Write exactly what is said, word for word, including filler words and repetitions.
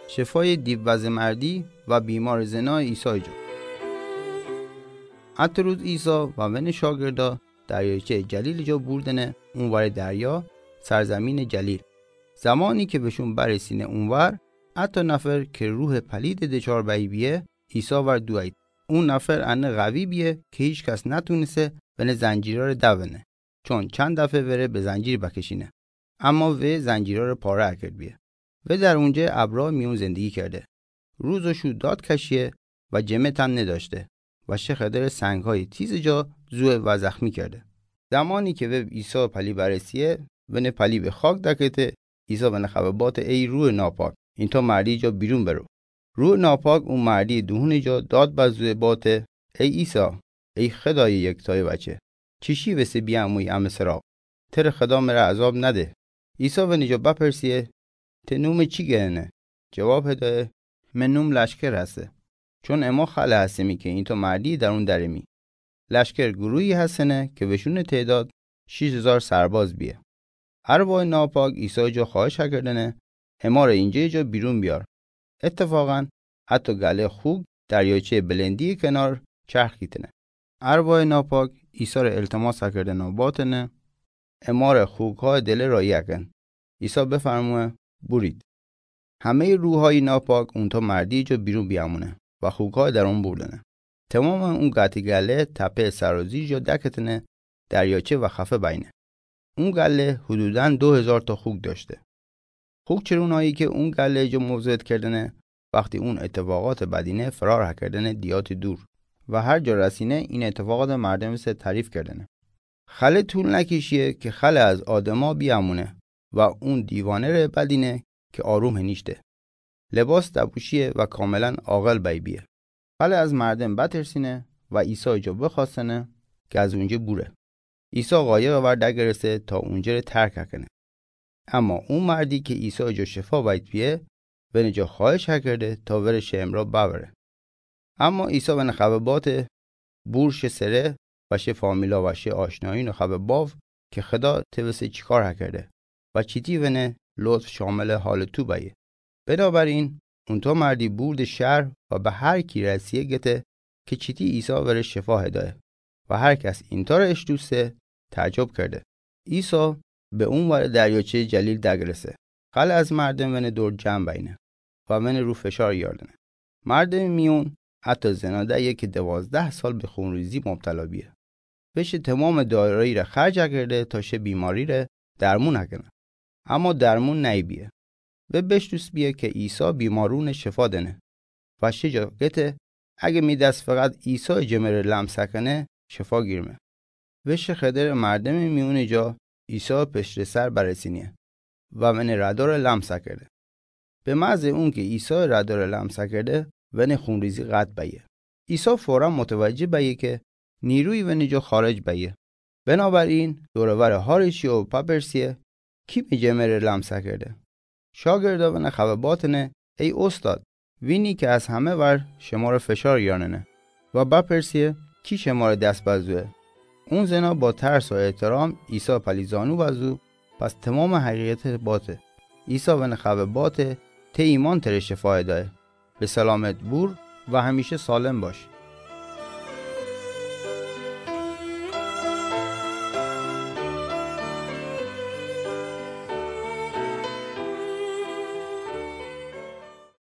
شفای دیو وضع مردی و بیمار زنا عیسی جا. اتو روز عیسی و ونٚ شاگردا دریاچه جلیل جا بوردنه اونور دریا، سرزمین جلیل. زمانی که وشون برسینه اونور، اتو نفر که روح پلید دچار بی بیه، عیسی ور دوید. اون نفر انه قوی بیه که هیچ کس نتونسه ونٚ زنجیرار دونه، چون چند دفه وره به زنجیر بکشینه، اما و زنجیرار پاره اکرد بیه. و در اونجه ابرا میون زندگی کرده. روز و شو داد کشیه و جمه تن نداشته و شه خدر سنگهای تیز جا زوه و زخمی کرده. زمانی که و عیسی پلی برسیه، ونٚ پلی به خاک دکته، عیسی ونٚ خبه باته: ای روح ناپاک، اینتا مردی جا بیرون برو. روح ناپاک او مردی دهونٚ جا داد بزوه باته: ای عیسی، ای خدای یکتای وچه، چیشی وسه بیاموی امه سراغ؟ تره خدا مره عذاب نده. عیسی ونٚ جا بپرسیه: ته نومه چی گننه؟ جواب هدایه: مه نوم لشکر هسه، چون اما خلع هستیمی که اینتا مردی درون درمی. لشکر گروهی هستنه که وشونٚ تعداد شیش هزار سرباز بیه. ارواح ناپاک عیسی جا خواهش اکردنه: اماره اینجه جا بیرون بیار. اتفاقا اتو گله خوک دریاچه بلندی کنار چرخ کیتنه. ارواح ناپاک عیسی ره التماس اکردنه و باتنه: اماره خوکهای دله راهی اکن. عیسی بفرموه: بورید. همهٔ روحهای ناپاک اونتا مردی جا بیرون بیامونه و خوکهای درون بوردنه. تمام اون قطع گله تپه سرازیر جا دکتنه دریاچه و خفه بینه. اون گله حدوداً دو هزار تا خوک داشته. خوک چرونایی که اون گله جا موضعت کردنه، وقتی اون اتفاقات بدینه فرار هکردنه دیات دور و هر جا رسینه این اتفاقات مردم سه تعریف کردنه. خله طول نکیشیه که خله از آدما بیامونه و اون دیوانه ره بدینه که آروم هنیشته. لباس دپوشیه و کاملاً عاقل بی بیه. خله از مردم بترسینه و عیسی جا بخواستنه که از اونجه بوره. عیسی قایق ور دگرسه تا اونجه ره ترک هکنه. اما اون مردی که عیسی جا شفا بید بیه، ونٚ جا خواهش هکرده تا وره شه امرا ببره. اما عیسی ونٚ خبه باته: بور شه سره و شه فامیلا و شه آشنایونٚ خبه باو که خدا ته وسه چیکار هکرده و چیتی ونٚ لطف شاملٚ حالٚ تو بیه. بنابراین اونتا مردی بورده شهر و به هر کی رسیه گته که چیتی عیسی وره شفا هدایه و هر کس اینتا ره اشتوسه تعجب کرده. عیسی به اونور دریاچه جلیل دگرسه. خله از مردم ونٚ دور جمع بینه و ونٚ رو فشار یاردنه. مردمٚ میون حتی زناده‌یه که دوازده سال به خونریزی مبتلا بیه. و شه تمامٚ دارایی ره خرج کرده تا شه بیماری ره درمون هکنه. اما درمون نی بیه. و بشتوس بیه که عیسی بیمارونٚ شفا دنه. و شه جا گته: اگه می دس فقط عیسی جمه ره لمس هکنه، شفا گیرمه. و شه خدر مردمٚ میونٚ جا عیسی پشتٚ سر برسینیه و ونٚ رداره لمس کرده. به محض اون که عیسی رداره لمس کرده، ونٚ خونریزی قطع بیه. عیسی فوراً متوجه بیه که نیروی ونٚ جا خارج بیه. بنابراین دور ور حاریشیه و پپرسیه: کی می جمه ره لمس کرده؟ شاگردا ونٚ خبه باتنه: ای استاد، وینی که از همه ور شماره فشار یاننه. و بپرسیه: کی شماره دس بزوه؟ اون زنا با ترس و احترام عیسی پلی زانو بزو، پس تمامٚ حقیقت باته. عیسی ونٚ خبه باته: ته ایمان تره شفا دایه. به سلامت بور و همیشه سالم باش.